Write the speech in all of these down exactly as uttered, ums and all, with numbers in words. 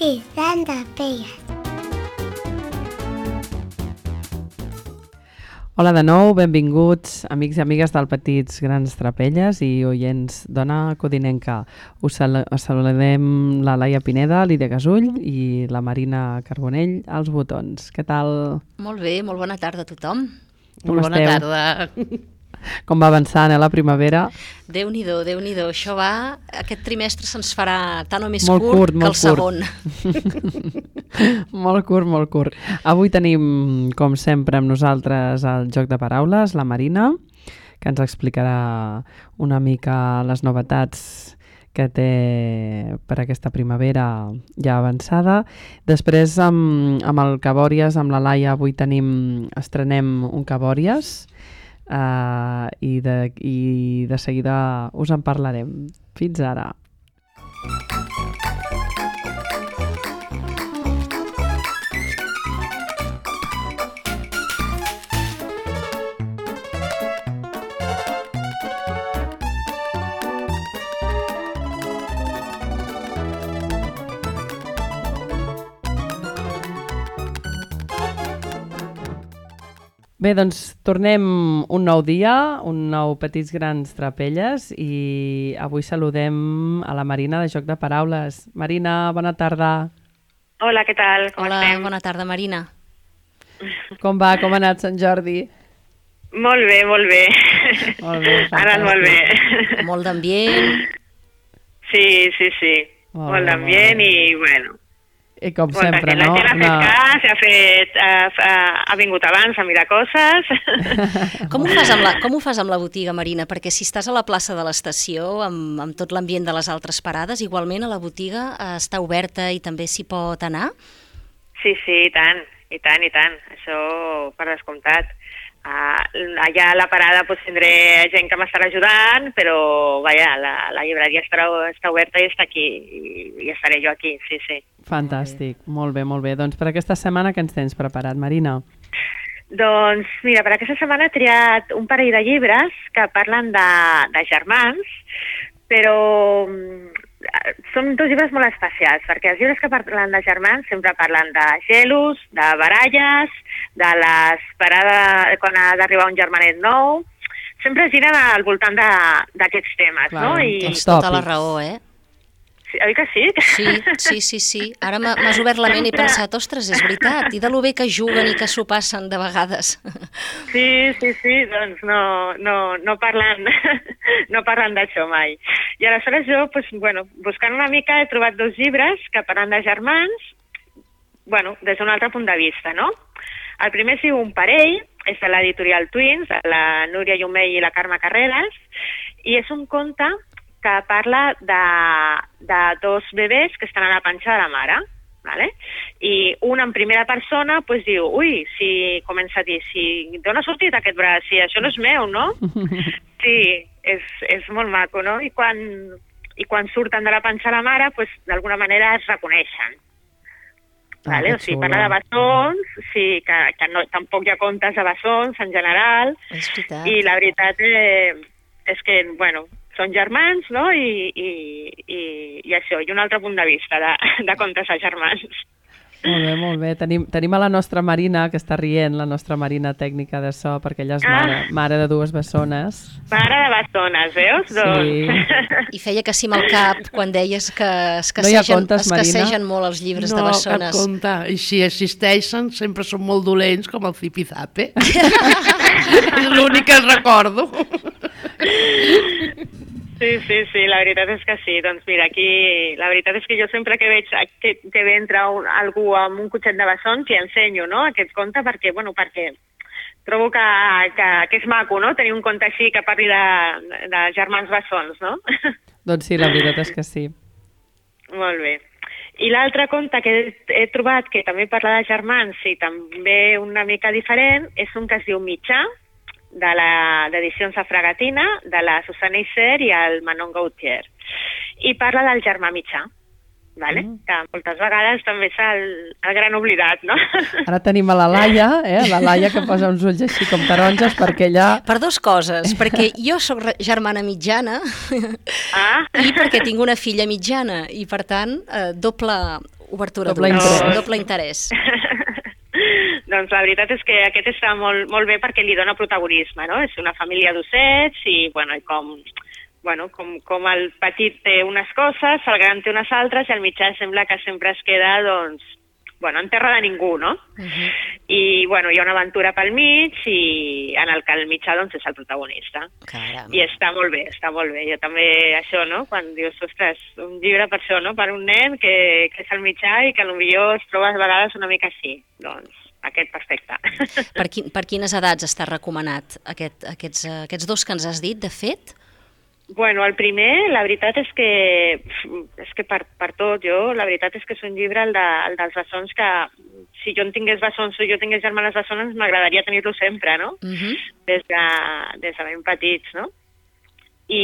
Petit Gran Trapelles. Hola de nou, benvinguts amics i amigues del Petits Grans Trapelles i oients d'Ona Codinenca. Us sal saludem la Laia Pineda, Lídia Gasull i la Marina Carbonell als botons. Què tal? Molt bé, molt bona tarda a tothom. Com molt bona esteu? tarda. Com va avançant, eh, la primavera? Déu-n'hi-do, Déu-n'hi-do. Això va... Aquest trimestre se'ns farà tant o més molt curt, curt que molt el segon. Molt curt, molt curt. Avui tenim, com sempre, amb nosaltres el joc de paraules, la Marina, que ens explicarà una mica les novetats que té per aquesta primavera ja avançada. Després, amb, amb el Cabòries, amb la Laia, avui tenim, estrenem un Cabòries, Uh, i, de, i de seguida us en parlarem. Fins ara. Bé, doncs tornem un nou dia, un nou Petits Grans Trapelles i avui saludem a la Marina de Joc de Paraules. Marina, bona tarda. Hola, què tal? Com Hola, estem? bona tarda, Marina. Com va? Com ha anat Sant Jordi? Molt bé, molt bé. Molt bé, ha anat molt bé. Molt d'ambient. Sí, sí, sí. Molt molt bé, d'ambient molt bé. i, bueno... I com Molt sempre, bé. no? La gent ha fet Una... cas, ha, fet, ha, ha, ha vingut abans a mirar coses. Com ho, fas amb la, com ho fas amb la botiga, Marina? Perquè si estàs a la plaça de l'estació, amb, amb tot l'ambient de les altres parades, igualment a la botiga eh, està oberta i també s'hi pot anar? Sí, sí, i tant, i tant, i tant. Això per descomptat. Uh, allà a la parada pues, tindré gent que m'estarà ajudant, però vaja, la, la llibreria estarà, està oberta i està aquí, i, i estaré jo aquí, sí, sí. Fantàstic, molt bé, molt bé. Doncs per aquesta setmana què ens tens preparat, Marina? Doncs mira, per aquesta setmana he triat un parell de llibres que parlen de, de germans, però són dos llibres molt especials, perquè els llibres que parlen de germans sempre parlen de gelos, de baralles, de les parades quan ha d'arribar un germanet nou, sempre giren al voltant d'aquests temes, Clar, no? I... Tens tota la raó, eh? Sí, oi que sí? Sí, sí, sí, sí. Ara m'has obert la ment i he pensat, ostres, és veritat, i de lo bé que juguen i que s'ho passen de vegades. Sí, sí, sí, doncs no, no, no parlen, no parlen d'això mai. I aleshores jo, pues, bueno, buscant una mica, he trobat dos llibres que parlen de germans, bueno, des d'un altre punt de vista, no? El primer es diu Un parell, és de l'editorial Twins, de la Núria Llumell i la Carme Carreras, i és un conte que parla de, de dos bebès que estan a la panxa de la mare, ¿vale? I un en primera persona pues, diu, ui, si comença a dir, si d'on ha sortit aquest braç? Si això no és meu, no? Sí, és, és molt maco, no? I quan, i quan surten de la panxa de la mare, pues, d'alguna manera es reconeixen. Ah, vale? O sigui, parla de bessons, sí, que, que no, tampoc hi ha contes de bessons en general, És veritat. i la veritat eh, és que, bueno, són germans, no? I, i, i, i això, i un altre punt de vista de, de contes de germans. Molt bé, molt bé. Tenim, tenim a la nostra Marina, que està rient, la nostra Marina tècnica de so, perquè ella és mare, Ah. mare de dues bessones. Mare de bessones, veus? Sí. Doncs... I feia que sí amb el cap quan deies que No hi ha escassegen, contes, Marina? escassegen molt els llibres de No, cap bessones. compte. I si existeixen, sempre són molt dolents, com el zipizape. És l'únic que recordo. Sí, sí, sí, la veritat és que sí. Doncs mira, aquí la veritat és que jo sempre que veig que, que ve entra un, algú amb un cotxet de bessons i ensenyo, no?, aquest conte perquè, bueno, perquè trobo que, que, que és maco, no?, tenir un conte així que parli de, de germans bessons, no? Doncs sí, la veritat és que sí. Molt bé. I l'altre conte que he, he trobat que també parla de germans i també una mica diferent és un que es diu Mitjà, de l'edicions de Fragatina, de la Susana Isser i el Manon Gautier. I parla del germà mitjà, vale? Mm. Que moltes vegades també és el, el gran oblidat, no? Ara tenim a la Laia, eh? La Laia que posa uns ulls així com taronges perquè ella... Per dues coses, perquè jo sóc germana mitjana ah. i perquè tinc una filla mitjana i per tant eh, doble Obertura Doble d'ulls, interès. doble interès. Doncs la veritat és que aquest està molt, molt bé perquè li dona protagonisme, no? És una família d'ossets i, bueno, i com, bueno, com, com el petit té unes coses, el gran té unes altres i el mitjà sembla que sempre es queda, doncs, bueno, en terra de ningú, no? Uh-huh. I, bueno, hi ha una aventura pel mig i en el que el mitjà, doncs, és el protagonista. Caram. I està molt bé, està molt bé. Jo també, això, no?, quan dius, ostres, un llibre per això, no?, per un nen que, que és el mitjà i que potser es troba a vegades una mica així. Doncs, aquest perfecte. Per, quin, per quines edats està recomanat aquest, aquests, aquests dos que ens has dit, de fet? Bueno, el primer, la veritat és que, és que per, per tot, jo, la veritat és que és un llibre, el, de, el dels bessons, que si jo en tingués bessons o jo tingués germanes bessones, m'agradaria tenir-lo sempre, no? Uh-huh. Des de, des de ben petits, no? I,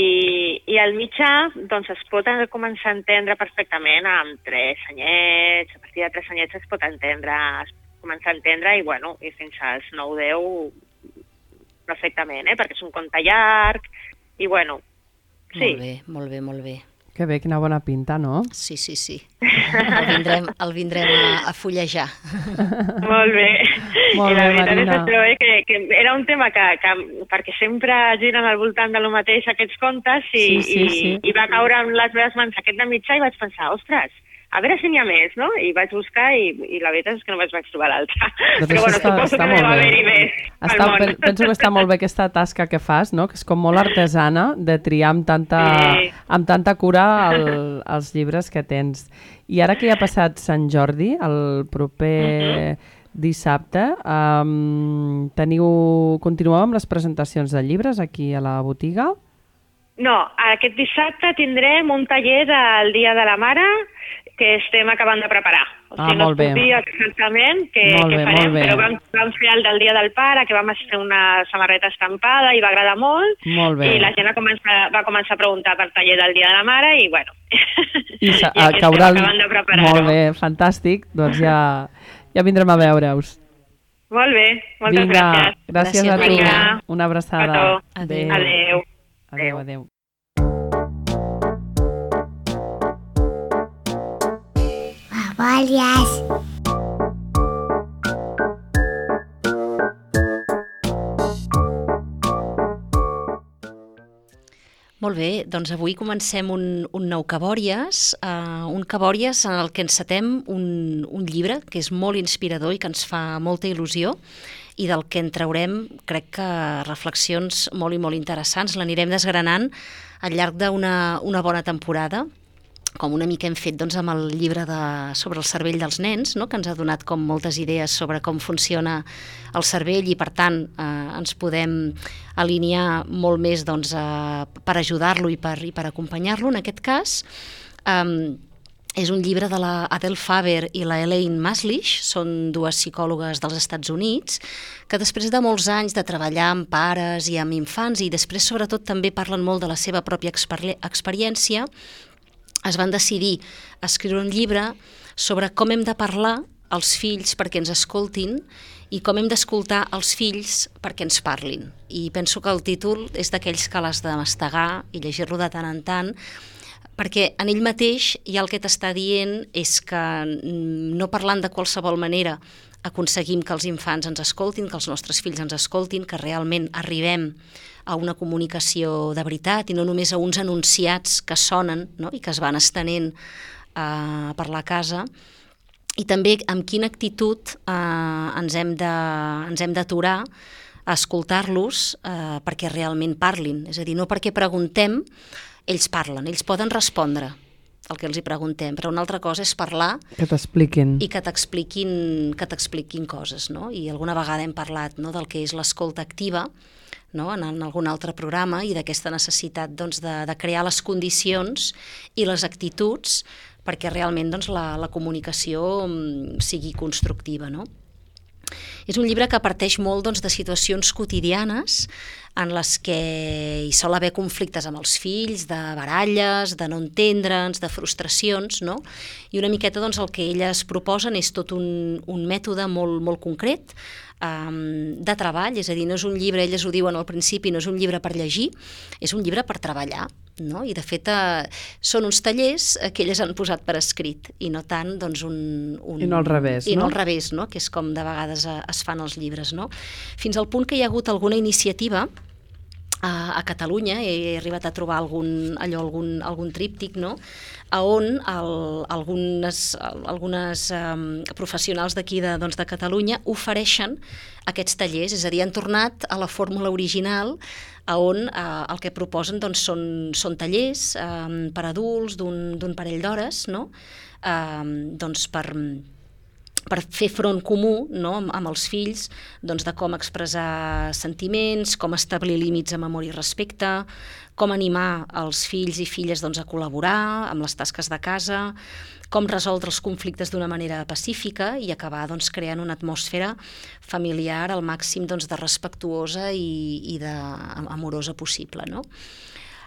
i el mitjà, doncs, es pot començar a entendre perfectament amb tres anyets, a partir de tres anyets es pot entendre, es començar a entendre i, bueno, i fins als nou deu perfectament, eh? Perquè és un conte llarg i, bueno, sí. Molt bé, molt bé, molt bé. Que bé, quina bona pinta, no? Sí, sí, sí. El vindrem, el vindrem a, a fullejar. Molt bé. Molt I la bé, veritat Marina. és això, eh, que, que era un tema que, que, perquè sempre giren al voltant de lo mateix aquests contes i, Sí, sí, sí. i, i va caure en les meves mans aquest de mitjà i vaig pensar, ostres, a veure si n'hi ha més, no? I vaig buscar i, i la veritat és que no vaig trobar l'altra. Doncs Però això bueno, està- suposo està que molt deu bé. haver-hi més pel Està, món. pen- penso que està molt bé aquesta tasca que fas, no? Que és com molt artesana de triar amb tanta, Sí. amb tanta cura el, els llibres que tens. I ara que ja ha passat Sant Jordi, el proper dissabte, um, teniu, continueu amb les presentacions de llibres aquí a la botiga? No, aquest dissabte tindrem un taller del Dia de la Mare que estem acabant de preparar. O Ah, sigui, molt no us puc bé. dir exactament què, Molt què bé, farem, molt bé. però vam, vam fer el del Dia del Pare, que vam fer una samarreta estampada i va agradar molt, Molt bé. i la gent va començar, va començar a preguntar per taller del Dia de la Mare i, bueno, I, sa- i aquí caurà estem el- acabant de preparar-ho. Molt bé, fantàstic. Doncs ja, ja vindrem a veure-us. Molt bé, moltes Vinga, gràcies. gràcies Gràcies, a tu. Marina. Una abraçada. Petó. Adéu. Adéu. Adéu, adéu. Babalias. Molt bé, doncs avui comencem un, un nou Cabòries, uh, un Cabòries en el que encetem un, un llibre que és molt inspirador i que ens fa molta il·lusió i del que en traurem, crec que, reflexions molt i molt interessants. L'anirem desgranant al llarg d'una una bona temporada, com una mica hem fet doncs, amb el llibre de, sobre el cervell dels nens, no? Que ens ha donat com moltes idees sobre com funciona el cervell i, per tant, eh, ens podem alinear molt més doncs, eh, per ajudar-lo i per, i per acompanyar-lo. En aquest cas, eh, és un llibre de la Adele Faber i la Elaine Maslish, són dues psicòlogues dels Estats Units, que després de molts anys de treballar amb pares i amb infants, i després sobretot també parlen molt de la seva pròpia exper- experiència, es van decidir a escriure un llibre sobre com hem de parlar als fills perquè ens escoltin i com hem d'escoltar els fills perquè ens parlin. I penso que el títol és d'aquells que l'has de mastegar i llegir-lo de tant en tant, perquè en ell mateix ja el que t'està dient és que no parlant de qualsevol manera aconseguim que els infants ens escoltin, que els nostres fills ens escoltin, que realment arribem a una comunicació de veritat i no només a uns enunciats que sonen, no? I que es van estenent eh, per la casa, i també amb quina actitud eh, ens hem de, ens hem d'aturar a escoltar-los eh, perquè realment parlin. És a dir, no perquè preguntem, ells parlen, ells poden respondre el que els hi preguntem, però una altra cosa és parlar Que t'expliquin. i que t'expliquin que t'expliquin coses, no? I alguna vegada hem parlat, no?, del que és l'escolta activa, no?, en, en algun altre programa, i d'aquesta necessitat doncs, de, de crear les condicions i les actituds perquè realment doncs, la, la comunicació mm, sigui constructiva, no? És un llibre que parteix molt doncs, de situacions quotidianes en les que hi sol haver conflictes amb els fills, de baralles, de no entendre'ns, de frustracions, no? I una miqueta doncs, el que elles proposen és tot un, un mètode molt, molt concret um, de treball, és a dir, no és un llibre, elles ho diuen al principi, no és un llibre per llegir, és un llibre per treballar. no? I de fet eh, són uns tallers que elles han posat per escrit i no tant doncs un... un I no al revés, i no? no? al revés, no? Que és com de vegades eh, es fan els llibres, no? Fins al punt que hi ha hagut alguna iniciativa a, a Catalunya, he arribat a trobar algun, allò, algun, algun tríptic, no? A on el, algunes, algunes um, professionals d'aquí de, doncs, de Catalunya ofereixen aquests tallers, és a dir, han tornat a la fórmula original a on eh, el que proposen doncs, són, són tallers eh, per adults d'un parell d'hores, no? eh, doncs per, per fer front comú, no? amb, amb els fills doncs, de com expressar sentiments, com establir límits amb amor i respecte, com animar els fills i filles doncs, a col·laborar amb les tasques de casa, com resoldre els conflictes d'una manera pacífica i acabar doncs, creant una atmosfera familiar al màxim doncs, de respectuosa i, i de, amorosa possible, no?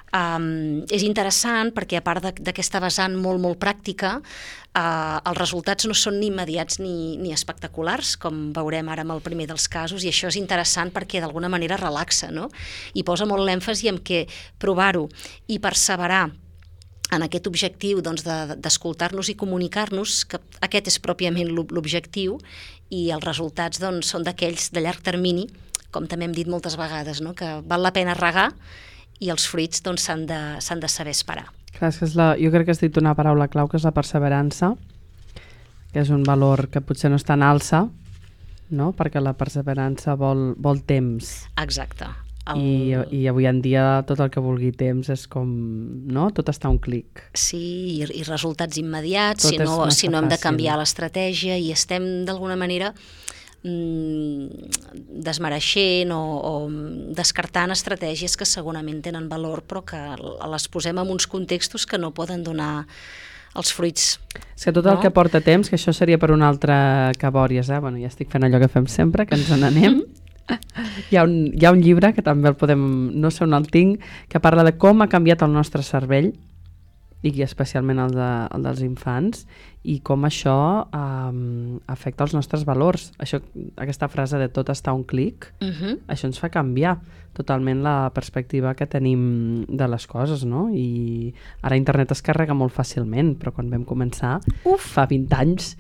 Um, és interessant perquè a part d'aquesta vessant molt, molt pràctica, uh, els resultats no són ni immediats ni, ni espectaculars, com veurem ara amb el primer dels casos, i això és interessant perquè d'alguna manera relaxa, no? I posa molt l'èmfasi en què provar-ho i perseverar en aquest objectiu doncs, d'escoltar-nos de, i comunicar-nos, que aquest és pròpiament l'objectiu, i els resultats doncs, són d'aquells de llarg termini, com també hem dit moltes vegades, no? Que val la pena regar i els fruits doncs, s'han de, s'han de saber esperar. Clar, és que és la, jo crec que has dit una paraula clau, que és la perseverança, que és un valor que potser no està en alça, no? Perquè la perseverança vol, vol temps. Exacte. El... I, I avui en dia tot el que vulgui temps és com, no? Tot està a un clic. Sí, i, i resultats immediats, tot si no, si no hem de fàcil. canviar l'estratègia i estem d'alguna manera desmereixent o, o descartant estratègies que segurament tenen valor però que les posem en uns contextos que no poden donar els fruits. És que tot el no? que porta temps, que això seria per un altre cabòries, eh? Bueno, ja estic fent allò que fem sempre, que ens n'anem. Hi ha, un, hi ha un llibre que també el podem, no sé on el tinc, que parla de com ha canviat el nostre cervell, i especialment el, de, el dels infants, i com això um, afecta els nostres valors. Això, aquesta frase de tot està a un clic, uh-huh. això ens fa canviar totalment la perspectiva que tenim de les coses, no? I ara internet es carrega molt fàcilment, però quan vam començar, uf, fa vint anys,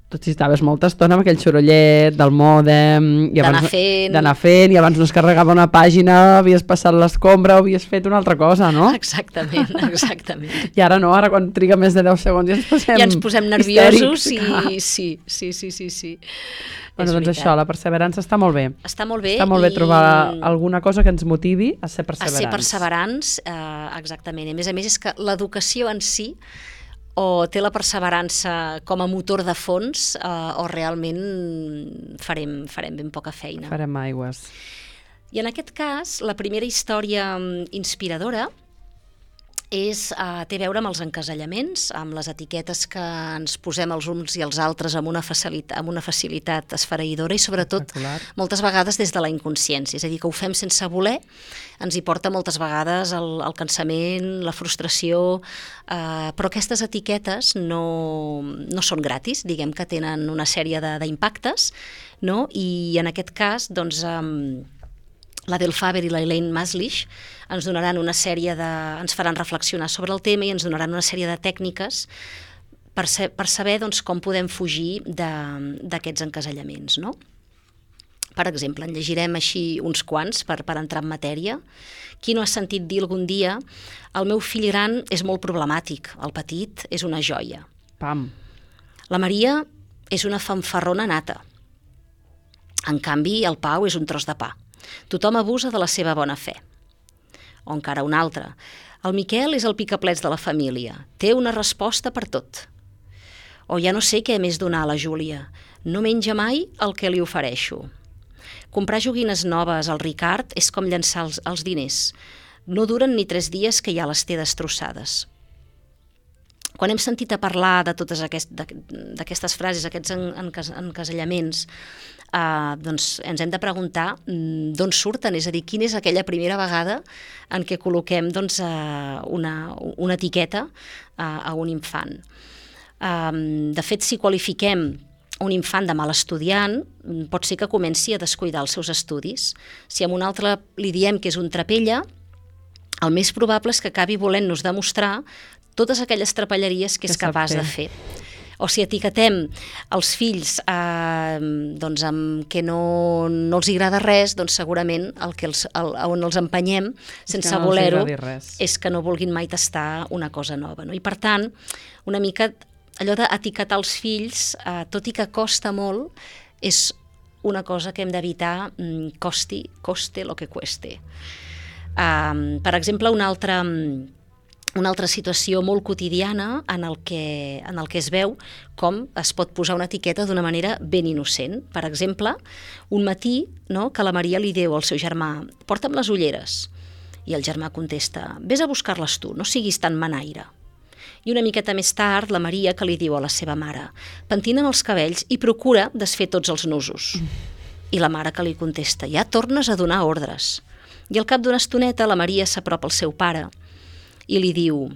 tot si estaves molta estona amb aquell sorollet del mòdem, d'anar fent. d'anar fent, i abans no es carregava una pàgina, havies passat l'escombra o havies fet una altra cosa, no? Exactament, exactament. I ara no, ara quan triga més de deu segons ja ens posem, ja ens posem nerviosos histèrics. i sí, sí, sí, sí, sí. Bueno, doncs això, la perseverança està molt bé. Està molt bé. Està molt bé i... trobar alguna cosa que ens motivi a ser perseverants. A ser perseverants, eh, exactament. A més a més és que l'educació en si o té la perseverança com a motor de fons eh, o realment farem, farem ben poca feina. Farem aigües. I en aquest cas, la primera història inspiradora és, eh, té a veure amb els encasellaments, amb les etiquetes que ens posem els uns i els altres amb una facilitat, amb una facilitat esfereïdora i sobretot moltes vegades des de la inconsciència, és a dir, que ho fem sense voler, ens hi porta moltes vegades el, el cansament, la frustració, eh, però aquestes etiquetes no, no són gratis, diguem que tenen una sèrie d'impactes, no? I en aquest cas, doncs, eh, la Del Faber i la Elaine Maslisch ens donaran una sèrie de... ens faran reflexionar sobre el tema i ens donaran una sèrie de tècniques per, ser, per saber doncs, com podem fugir d'aquests encasellaments, no? Per exemple, en llegirem així uns quants per, per entrar en matèria. Qui no ha sentit dir algun dia el meu fill gran és molt problemàtic, el petit és una joia. Pam. La Maria és una fanfarrona nata. En canvi, el Pau és un tros de pa. Tothom abusa de la seva bona fe. O encara un altre. El Miquel és el picaplets de la família. Té una resposta per tot. O ja no sé què més donar a la Júlia. No menja mai el que li ofereixo. Comprar joguines noves al Ricard és com llançar els, els diners. No duren ni tres dies que ja les té destrossades. Quan hem sentit a parlar de totes aquest, d'aquestes frases, aquests encasellaments, eh, doncs ens hem de preguntar d'on surten, és a dir, quina és aquella primera vegada en què col·loquem doncs, eh, una, una etiqueta eh, a un infant. Eh, de fet, si qualifiquem un infant de mal estudiant, pot ser que comenci a descuidar els seus estudis. Si a un altre li diem que és un trapella, el més probable és que acabi volent-nos demostrar totes aquelles trapelleries que és capaç de fer. O si etiquetem els fills eh, doncs amb que no, no els agrada res, doncs segurament el que els, el, on els empenyem sense no voler-ho és que no vulguin mai tastar una cosa nova. No? I per tant, una mica allò d'etiquetar els fills, eh, tot i que costa molt, és una cosa que hem d'evitar, mm, costi, coste lo que cueste. Um, per exemple, una altra... Una altra situació molt quotidiana en el, que, en el que es veu com es pot posar una etiqueta d'una manera ben innocent. Per exemple, un matí, no, que la Maria li diu al seu germà «porta'm les ulleres». I el germà contesta «vés a buscar-les tu, no siguis tan manaire». I una miqueta més tard, la Maria que li diu a la seva mare «pentina'n els cabells i procura desfer tots els nusos». I la mare que li contesta «ja tornes a donar ordres». I al cap d'una estoneta la Maria s'apropa al seu pare i li diu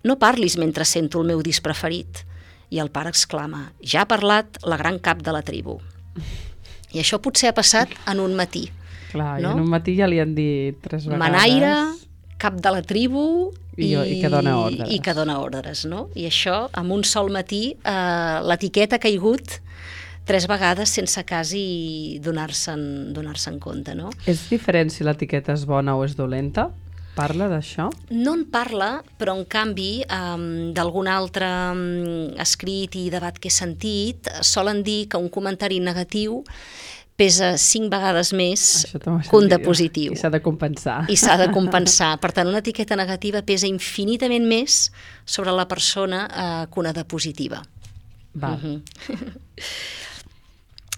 «no parlis mentre sento el meu disc preferit». I el pare exclama «ja ha parlat la gran cap de la tribu». I això potser ha passat en un matí. Clar, no? I en un matí ja li han dit tres vegades... Manaire, cap de la tribu i, I, i que dona ordres. I que dona ordres, no? I això, en un sol matí, eh, l'etiqueta ha caigut tres vegades sense quasi donar-se'n donar-se'n compte, no? És diferent si l'etiqueta és bona o és dolenta? Parla d'això? No en parla, però en canvi um, d'algun altre um, escrit i debat que he sentit solen dir que un comentari negatiu pesa cinc vegades més que un de positiu. I s'ha de compensar. I s'ha de compensar. Per tant, una etiqueta negativa pesa infinitament més sobre la persona uh, que una de positiva. Val. Uh-huh.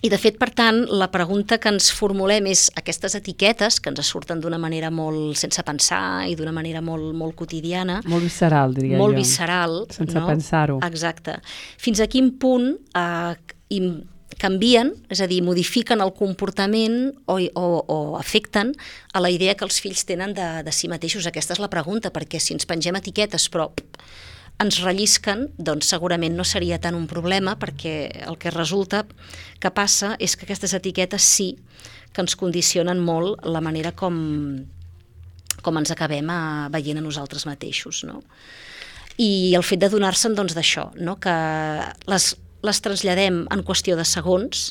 I, de fet, per tant, la pregunta que ens formulem és aquestes etiquetes que ens surten d'una manera molt sense pensar i d'una manera molt, molt quotidiana. Molt visceral, diria molt jo. Molt visceral. Sense no? pensar-ho. Exacte. Fins a quin punt eh, canvien, és a dir, modifiquen el comportament o, o, o afecten a la idea que els fills tenen de, de si mateixos. Aquesta és la pregunta, perquè si ens pengem etiquetes però ens rellisquen, doncs segurament no seria tant un problema, perquè el que resulta que passa és que aquestes etiquetes sí que ens condicionen molt la manera com, com ens acabem a, veient a nosaltres mateixos. No? I el fet de donar-se'n doncs, d'això, no? Que les, les traslladem en qüestió de segons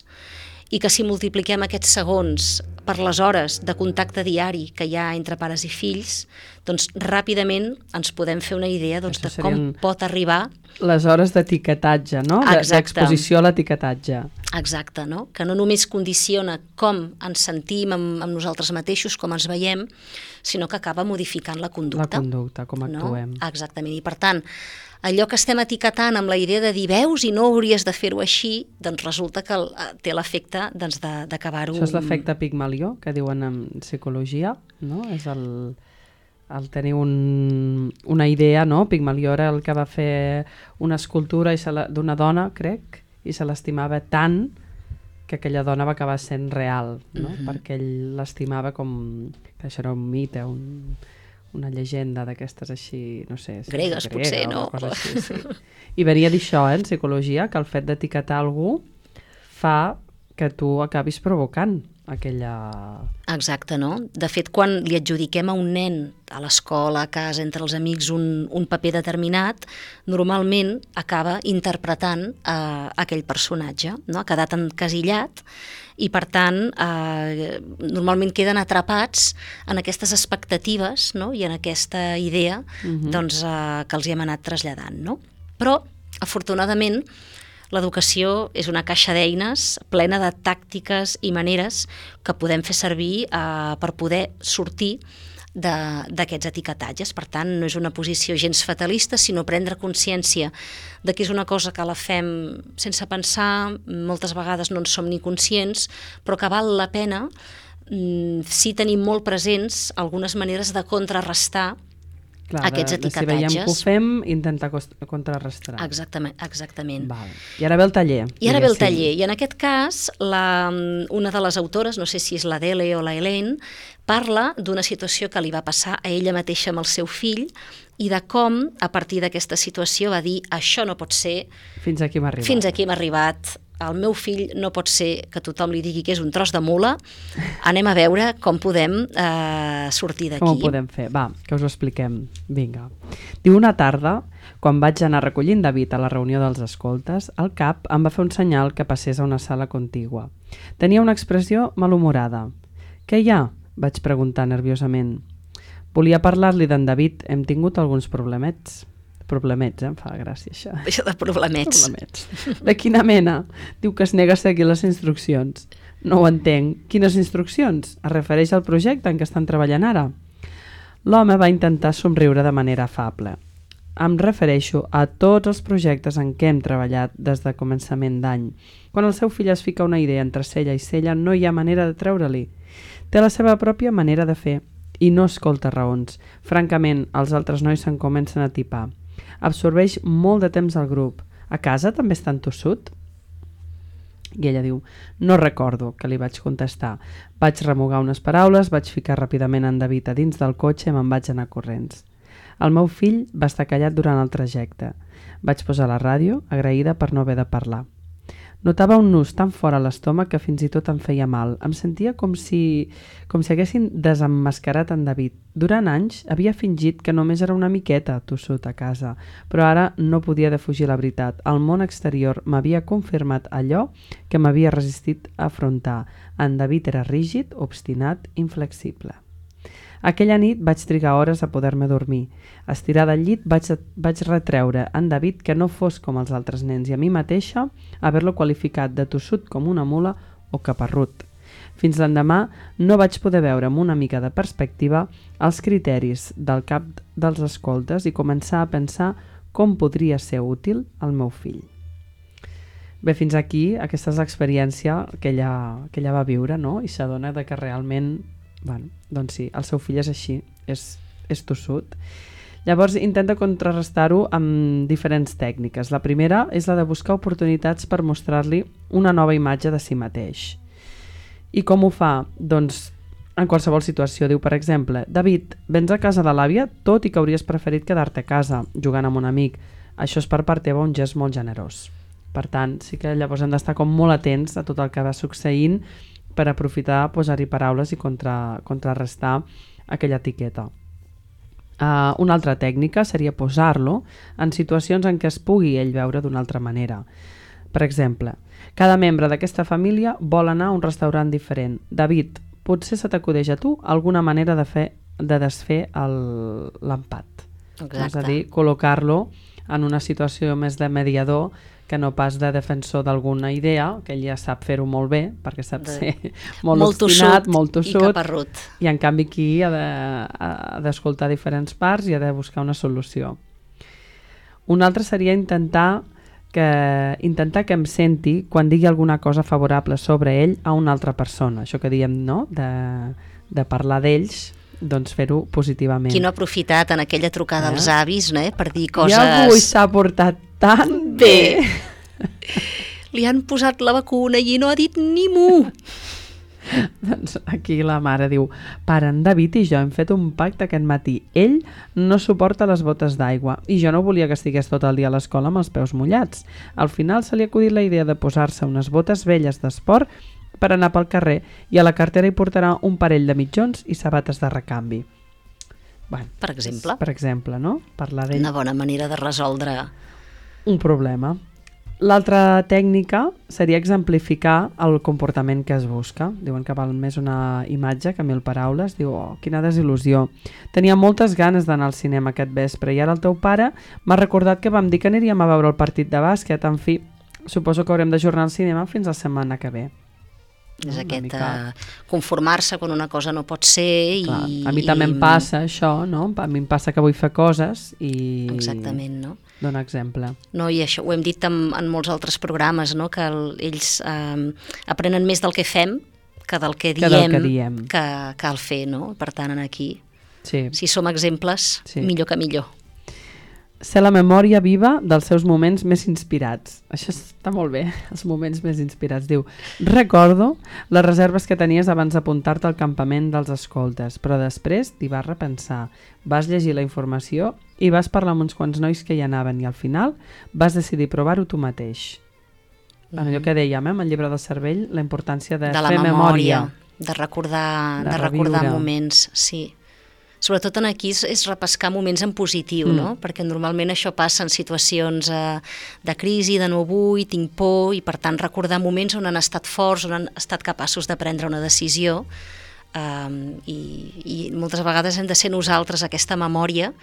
i que si multipliquem aquests segons per les hores de contacte diari que hi ha entre pares i fills, doncs ràpidament ens podem fer una idea doncs, de com pot arribar... Les hores d'etiquetatge, no? D'exposició a l'etiquetatge. Exacte, no? Que no només condiciona com ens sentim amb, amb nosaltres mateixos, com ens veiem, sinó que acaba modificant la conducta. La conducta, com actuem. No? Exactament, i per tant, allò que estem etiquetant amb la idea de dir veus i no hauries de fer-ho així, doncs resulta que té l'efecte doncs, d'acabar-ho... Això és l'efecte Pigmalió, que diuen en psicologia, no? És el, el tenir un, una idea, no? Pigmalió era el que va fer una escultura d'una dona, crec, i se l'estimava tant que aquella dona va acabar sent real, no? Uh-huh. Perquè ell l'estimava com... que això era un mite, un... una llegenda d'aquestes així, no sé... Si gregues, grega, potser, no? Així, sí. I venia d'això, eh, en psicologia, que el fet d'etiquetar algú fa que tu acabis provocant aquella... Exacte, no? De fet, quan li adjudiquem a un nen a l'escola, a casa, entre els amics, un, un paper determinat, normalment acaba interpretant eh, aquell personatge, no? Ha quedat encasillat i, per tant, eh, normalment queden atrapats en aquestes expectatives, no? I en aquesta idea uh-huh. doncs, eh, que els hi hem anat traslladant, no? Però, afortunadament, l'educació és una caixa d'eines plena de tàctiques i maneres que podem fer servir eh, per poder sortir d'aquests etiquetatges. Per tant, no és una posició gens fatalista, sinó prendre consciència de que és una cosa que la fem sense pensar, moltes vegades no en som ni conscients, però que val la pena mm, si tenim molt presents algunes maneres de contrarrestar Clar, aquests de, de etiquetatges. Si veiem que ho fem, intentar contrarrestar. Exactament. exactament. Val. I ara ve el taller. I ara ve el taller. I en aquest cas, la, una de les autores, no sé si és l'Adele o la Helene, parla d'una situació que li va passar a ella mateixa amb el seu fill i de com, a partir d'aquesta situació, va dir això no pot ser, fins aquí m'ha arribat. Fins aquí m'ha arribat, el meu fill no pot ser que tothom li digui que és un tros de mula, anem a veure com podem eh, sortir d'aquí. Com ho podem fer? Va, que us ho expliquem. Vinga. Diu, una tarda, quan vaig anar recollint David a la reunió dels escoltes, el cap em va fer un senyal que passés a una sala contigua. Tenia una expressió malhumorada. «Què hi ha?», vaig preguntar nerviosament. Volia parlar-li d'en David, hem tingut alguns problemets. Problemets, eh? Em fa gràcia això. Això de problemets. Problemets. De quina mena? Diu que es nega a seguir les instruccions. No ho entenc. Quines instruccions? Es refereix al projecte en què estan treballant ara? L'home va intentar somriure de manera afable. Em refereixo a tots els projectes en què hem treballat des de començament d'any. Quan el seu fill es fica una idea entre cella i cella, no hi ha manera de treure-li. Té la seva pròpia manera de fer i no escolta raons. Francament, els altres nois se'n comencen a tipar. Absorbeix molt de temps al grup. A casa també és tan tossut? I ella diu, no recordo, que li vaig contestar. Vaig remugar unes paraules, vaig ficar ràpidament en David a dins del cotxe i me'n vaig anar corrents. El meu fill va estar callat durant el trajecte. Vaig posar la ràdio, agraïda per no haver de parlar. Notava un nus tan fora a l'estómac que fins i tot em feia mal. Em sentia com si, com si haguessin desemmascarat en David. Durant anys havia fingit que només era una miqueta tossut a casa, però ara no podia defugir la veritat. El món exterior m'havia confirmat allò que m'havia resistit a afrontar. En David era rígid, obstinat, inflexible. Aquella nit vaig trigar hores a poder-me dormir. Estirada al llit vaig, vaig retreure a en David que no fos com els altres nens i a mi mateixa haver-lo qualificat de tossut com una mula o caparrut. Fins l'endemà no vaig poder veure amb una mica de perspectiva els criteris del cap dels escoltes i començar a pensar com podria ser útil al meu fill. Bé, fins aquí, aquesta és l'experiència que ella, que ella va viure, no? I s'adona de que realment, bueno, doncs sí, el seu fill és així, és, és tossut. Llavors intenta contrarrestar-ho amb diferents tècniques. La primera és la de buscar oportunitats per mostrar-li una nova imatge de si mateix. I com ho fa? Doncs en qualsevol situació. Diu, per exemple, David, vens a casa de l'àvia tot i que hauries preferit quedar-te a casa jugant amb un amic. Això és per part teva un gest molt generós. Per tant, sí que llavors hem d'estar com molt atents a tot el que va succeint per aprofitar, posar-hi paraules i contra, contrarrestar aquella etiqueta. Uh, una altra tècnica seria posar-lo en situacions en què es pugui ell veure d'una altra manera. Per exemple, cada membre d'aquesta família vol anar a un restaurant diferent. David, potser se t'acudeix a tu alguna manera de, fer, de desfer el, l'empat. Exacte. És a dir, col·locar-lo en una situació més de mediador que no pas de defensor d'alguna idea, que ell ja sap fer-ho molt bé, perquè sap de... ser molt, molt obstinat, molt tossut, i caparrut. I en canvi aquí ha, de, ha d'escoltar diferents parts i ha de buscar una solució. Un altre seria intentar que, intentar que em senti quan digui alguna cosa favorable sobre ell a una altra persona. Això que diem, no?, de, de parlar d'ells, doncs fer-ho positivament. Qui no ha aprofitat en aquella trucada eh? als avis, no, eh? Per dir coses... I avui s'ha portat tan bé. bé. Li han posat la vacuna i no ha dit ni mu. Doncs aquí la mare diu, pare, en David i jo hem fet un pacte aquest matí. Ell no suporta les botes d'aigua i jo no volia que estigués tot el dia a l'escola amb els peus mullats. Al final se li ha acudit la idea de posar-se unes botes velles d'esport per anar pel carrer i a la cartera hi portarà un parell de mitjons i sabates de recanvi. Bueno, per exemple. Per exemple, no? Parlar d'ell. Una bona manera de resoldre un problema. L'altra tècnica seria exemplificar el comportament que es busca. Diuen que val més una imatge que mil paraules. Diu, oh, quina desil·lusió. Tenia moltes ganes d'anar al cinema aquest vespre i ara el teu pare m'ha recordat que vam dir que aniríem a veure el partit de bàsquet. En fi, suposo que haurem d'ajornar el cinema fins la setmana que ve. És aquest mica... uh, conformar-se quan una cosa no pot ser. Clar, i a mi també em passa això, no? A mi em passa que vull fer coses i... Exactament, no? Dona exemple. No, i això ho hem dit en, en molts altres programes, no? Que el, ells eh, aprenen més del que fem que del que diem, que, del que, diem. que cal fer, no? Per tant, aquí, sí. Si som exemples, sí. Millor que millor. Ser la memòria viva dels seus moments més inspirats. Això està molt bé, els moments més inspirats. Diu, recordo les reserves que tenies abans d'apuntar-te al campament dels escoltes, però després t'hi vas repensar, vas llegir la informació i vas parlar amb uns quants nois que hi anaven i al final vas decidir provar-ho tu mateix. en allò que dèiem, eh, amb el llibre del cervell, la importància de, de la fer memòria, memòria, de recordar, de de recordar reviure. moments, sí. Sobretot en aquí és, és repescar moments en positiu, Mm. no? Perquè normalment això passa en situacions eh, de crisi, de no vull, tinc por, i per tant recordar moments on han estat forts, on han estat capaços de prendre una decisió, eh, i, i moltes vegades hem de ser nosaltres aquesta memòria,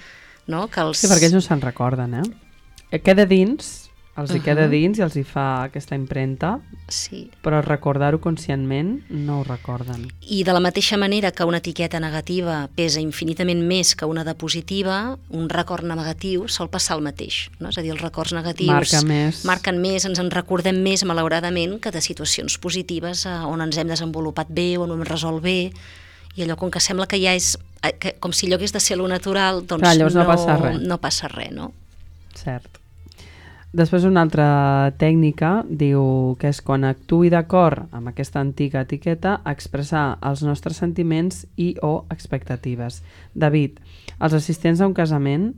no? Que els... Sí, perquè ells no se'n recorden, eh? Queda dins, els hi Uh-huh. queda dins i els hi fa aquesta impremta, Sí. però recordar-ho conscientment no ho recorden. I de la mateixa manera que una etiqueta negativa pesa infinitament més que una de positiva, un record negatiu sol passar el mateix, no? És a dir, els records negatius Marca més. marquen més, ens en recordem més, malauradament, que de situacions positives eh, on ens hem desenvolupat bé, on ho hem resolt bé, i allò com que sembla que ja és, eh, que, com si allò hagués de ser lo natural, doncs Clar, llavors no no, passa res. no passa res, no? Cert. Després una altra tècnica diu que és quan actuï d'acord amb aquesta antiga etiqueta expressar els nostres sentiments i o expectatives. David, els assistents a un casament,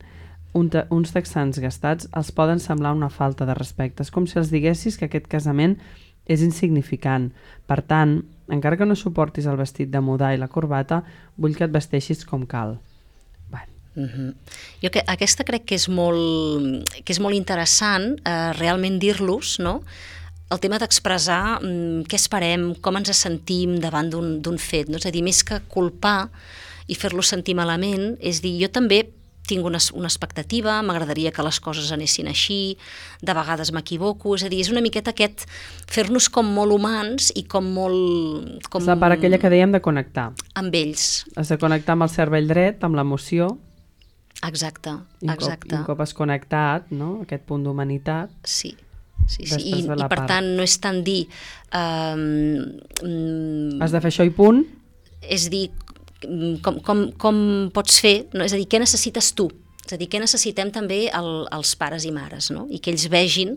un te uns texans gastats, els poden semblar una falta de respecte. És com si els diguessis que aquest casament és insignificant. Per tant, encara que no suportis el vestit de mudar i la corbata, vull que et vesteixis com cal. Uh-huh. Jo que aquesta crec que és molt, que és molt interessant eh, realment dir-los, no? El tema d'expressar mm, què esperem, com ens sentim davant d'un fet, no? És a dir, més que culpar i fer-los sentir malament, és dir, jo també tinc una, una expectativa, m'agradaria que les coses anessin així, de vegades m'equivoco, és a dir, és una miqueta aquest fer-nos com molt humans i com molt... Com... És la part aquella que dèiem de connectar. Amb ells. Has de connectar amb el cervell dret, amb l'emoció. Exacte, I un exacte. cop, un cop has connectat, no?, aquest punt d'humanitat. Sí, sí, sí. I, Després ve la i per part. tant no és tant dir... Um, Has de fer això i punt. és dir, com, com, com pots fer, no? És a dir, què necessites tu? És a dir, què necessitem també el, els pares i mares, no? I que ells vegin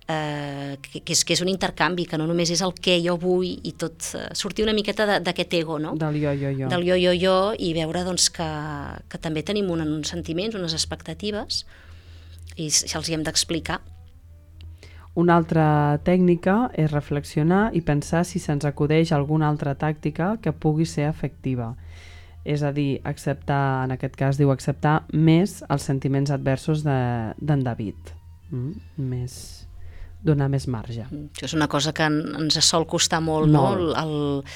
eh, que, que, és, que és un intercanvi, que no només és el què jo vull i tot, eh, sortir una miqueta d'aquest ego, no? Del jo, jo, jo. Del jo, jo, jo, i veure doncs, que, que també tenim un, uns sentiments, unes expectatives, i se'ls hi hem d'explicar. Una altra tècnica és reflexionar i pensar si se'ns acudeix alguna altra tàctica que pugui ser efectiva. És a dir, acceptar, en aquest cas diu acceptar més els sentiments adversos d'en de, David. Mm? Més, donar més marge. Això és una cosa que ens sol costar molt, Molt. no? El,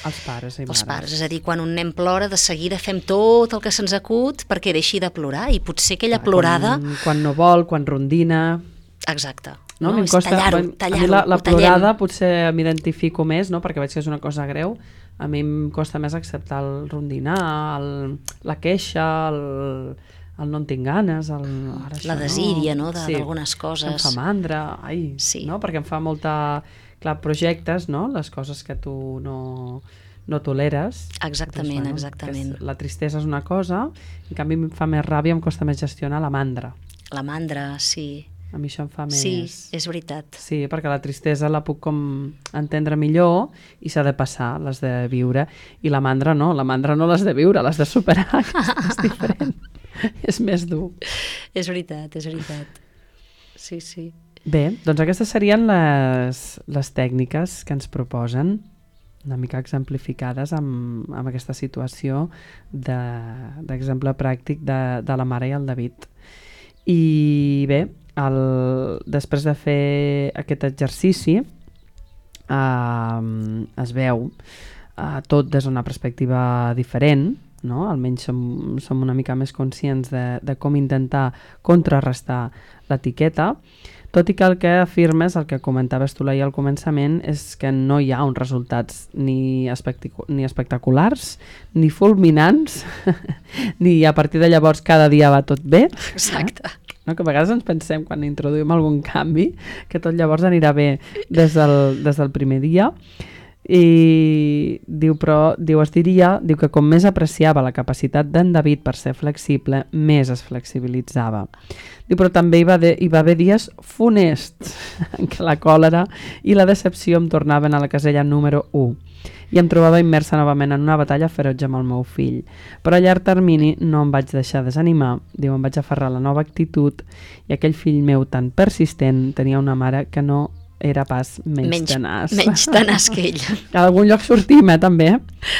Els pares i els mares. pares. És a dir, quan un nen plora, de seguida fem tot el que se'ns acut perquè deixi de plorar, i potser aquella Clar, plorada... Quan, quan no vol, quan rondina... Exacte. No? No? A mi em És costa, tallar-ho, quan- a mi tallar-ho, la, la ho tallem. plorada potser m'identifico més, no? Perquè veig que és una cosa greu. A mi em costa més acceptar el rondinar, el, la queixa, el, el no en tinc ganes, el, ara això La desídia, no?, Sí. d'algunes coses. Em fa mandra, ai, Sí. no? Perquè em fa molta... Clar, projectes, no? Les coses que tu no, no toleres. Exactament, Doncs, exactament. que és- La tristesa és una cosa, en canvi em fa més ràbia, em costa més gestionar la mandra. La mandra, sí. A mi això em fa més... Sí, és veritat. Sí, perquè la tristesa la puc com entendre millor i s'ha de passar, l'has de viure. I la mandra no, la mandra no l'has de viure, l'has de superar, és diferent. És més dur. És veritat, és veritat. Sí, sí. Bé, doncs aquestes serien les, les tècniques que ens proposen, una mica exemplificades amb, amb aquesta situació d'exemple de, pràctic de, de la mare i el David. I bé, el, després de fer aquest exercici eh, es veu eh, tot des d'una perspectiva diferent, no? Almenys som, som una mica més conscients de, de com intentar contrarrestar l'etiqueta, tot i que el que afirmes, el que comentaves tu ahir al començament, és que no hi ha uns resultats ni, ni espectaculars, ni fulminants, ni a partir de llavors cada dia va tot bé. Exacte. Eh? No? Que a vegades ens pensem, quan introduïm algun canvi, que tot llavors anirà bé des del, des del primer dia. I diu, però, diu, es diria, diu que com més apreciava la capacitat d'en David per ser flexible, més es flexibilitzava. Diu, però també hi va, de, hi va haver dies funests en què la còlera i la decepció em tornaven a la casella número u i em trobava immersa novament en una batalla ferotge amb el meu fill. Però a llarg termini no em vaig deixar desanimar, diu, em vaig aferrar a la nova actitud i aquell fill meu tan persistent tenia una mare que no era pas menys, menys tenaç. Menys tenaç que ell. A algun lloc sortim, eh, també.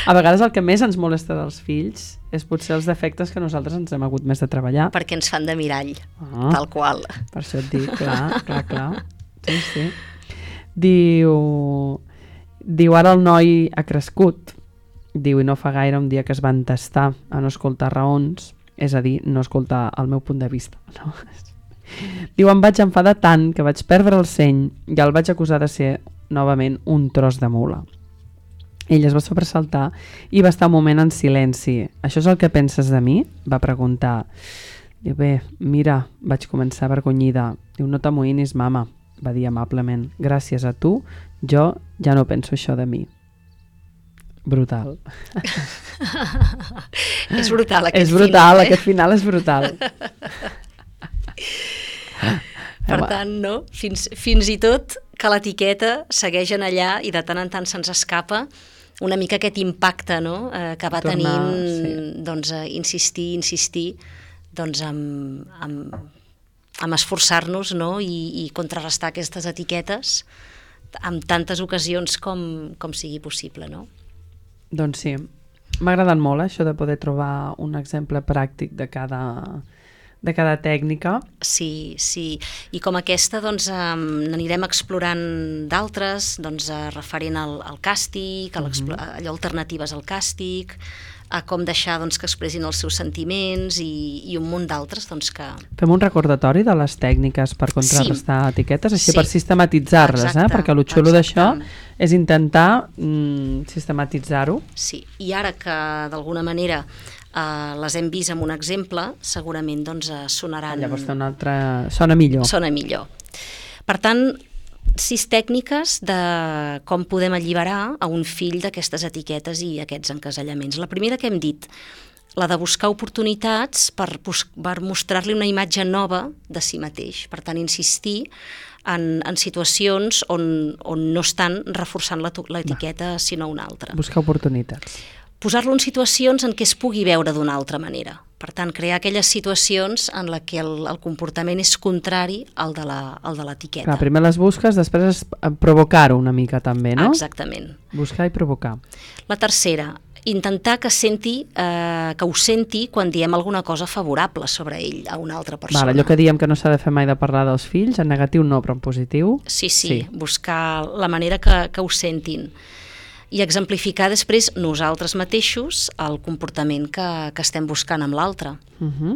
A vegades el que més ens molesta dels fills és potser els defectes que nosaltres ens hem hagut més de treballar. Perquè ens fan de mirall, ah, tal qual. Per això et dic, clar, clar, clar. Sí, sí. Diu... Diu, ara el noi ha crescut. Diu, i no fa gaire un dia que es va entestar a no escoltar raons, és a dir, no escoltar el meu punt de vista. No? Diu, em vaig enfadar tant que vaig perdre el seny i el vaig acusar de ser novament un tros de mula. Ell es va sobresaltar i va estar un moment en silenci. Això és el que penses de mi? Va preguntar. Diu, bé, mira, vaig començar avergonyida. Diu, no t'amoïnis, mama, va dir amablement. Gràcies a tu, jo ja no penso això de mi. Brutal. És brutal aquest és brutal, final, eh? Aquest final és brutal. Per tant, no? Fins, fins i tot que l'etiqueta segueix en allà i de tant en tant se'ns escapa una mica aquest impacte, no? eh, que va Tornar, tenint sí. doncs, a insistir, insistir doncs, amb, amb, amb esforçar-nos, no? I, i contrarrestar aquestes etiquetes amb tantes ocasions com, com sigui possible, no? Doncs sí, m'ha agradat molt això de poder trobar un exemple pràctic de cada, de cada tècnica. Sí, sí, i com aquesta doncs um, n'anirem explorant d'altres, doncs uh, referent al, al càstig, a Mhm. allò alternatives al càstig, a com deixar doncs, que expressin els seus sentiments i, i un munt d'altres doncs, que... Fem un recordatori de les tècniques per contrarrestar sí. etiquetes, així Sí. per sistematitzar-les, eh? Exacte, Perquè el xulo d'això exacte. és intentar mm, sistematitzar-ho. Sí, i ara que d'alguna manera eh, les hem vist amb un exemple, segurament doncs, eh, sonaran... Llavors té un altre... sona millor. Sona millor. Per tant, sis tècniques de com podem alliberar a un fill d'aquestes etiquetes i aquests encasellaments. La primera que hem dit, la de buscar oportunitats per, per mostrar-li una imatge nova de si mateix. Per tant, insistir en, en situacions on, on no estan reforçant l'etiqueta, sinó una altra. Buscar oportunitats. Posar-lo en situacions en què es pugui veure d'una altra manera. Per tant, crear aquelles situacions en la que el, el comportament és contrari al de l'etiqueta. Clar, primer les busques, després és provocar-ho una mica també, no? Exactament. Buscar i provocar. La tercera, intentar que senti, eh, que ho senti quan diem alguna cosa favorable sobre ell a una altra persona. Vale, allò que diem que no s'ha de fer mai de parlar dels fills, en negatiu no, però en positiu... Sí, sí, sí. Buscar la manera que, que ho sentin. I exemplificar després nosaltres mateixos el comportament que, que estem buscant amb l'altre. Uh-huh.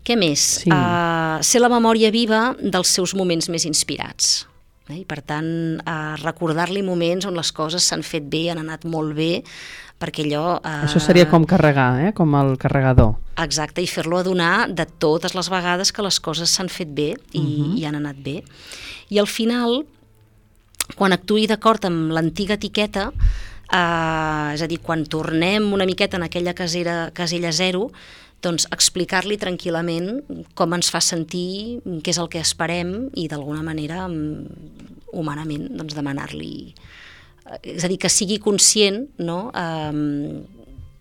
Què més? Sí. Uh, ser la memòria viva dels seus moments més inspirats. Eh? I per tant, uh, recordar-li moments on les coses s'han fet bé, han anat molt bé, perquè allò... Uh, Això seria com carregar, eh? Com el carregador. Exacte, i fer-lo adonar de totes les vegades que les coses s'han fet bé i, Uh-huh. i han anat bé. I al final, quan actuï d'acord amb l'antiga etiqueta, eh, és a dir, quan tornem una miqueta en aquella casera, casella zero, doncs explicar-li tranquil·lament com ens fa sentir, què és el que esperem i d'alguna manera, humanament, doncs demanar-li... És a dir, que sigui conscient, no?, eh,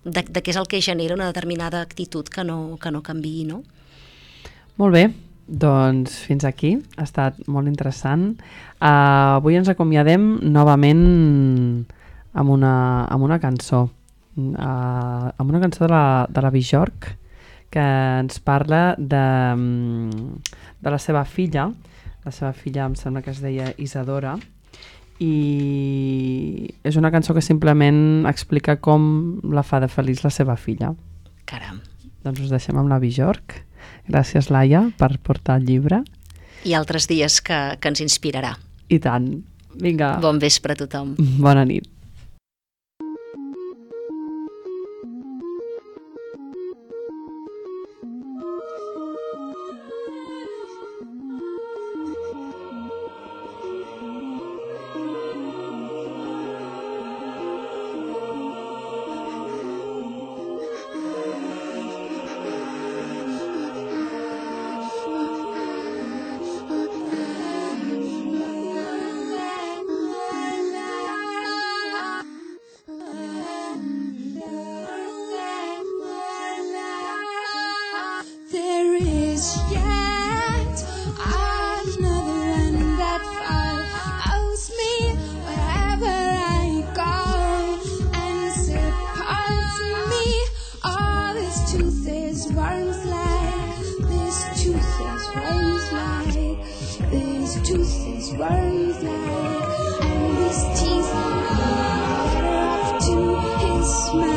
de, de què és el que genera una determinada actitud que no, que no canviï, no? Molt bé. Doncs fins aquí, ha estat molt interessant. Uh, avui ens acomiadem novament amb una, amb una cançó, uh, amb una cançó de la, de la Björk, que ens parla de, de la seva filla. La seva filla em sembla que es deia Isadora, i és una cançó que simplement explica com la fa de feliç la seva filla. Caram. Doncs us deixem amb la Björk. Gràcies, Laia, per portar el llibre. I altres dies que, que ens inspirarà. I tant. Vinga. Bon vespre a tothom. Bona nit. There is yet another end that fire. these worries lie, and these teeth are off to his smile.